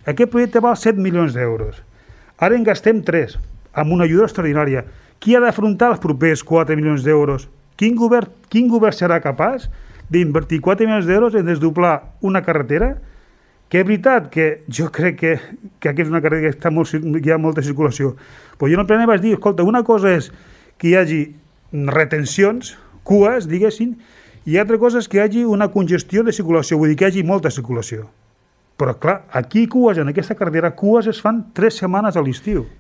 Aquest projecte val 7 milions d'euros. Ara en gastem 3, amb una ajuda extraordinària. Qui ha d'afrontar els propers 4 milions d'euros? Quin govern serà capaç d'invertir 4 milions d'euros en desdoblar una carretera que és veritat que jo crec que aquí és una carretera que hi ha molta circulació. Però jo en el primer vaig dir, escolta, una cosa és que hi hagi retencions, cues, diguéssim, i altra cosa és que hi hagi una congestió de circulació, vull dir que hi hagi molta circulació. Però clar, aquí cues, en aquesta carretera, cues es fan 3 setmanes a l'estiu.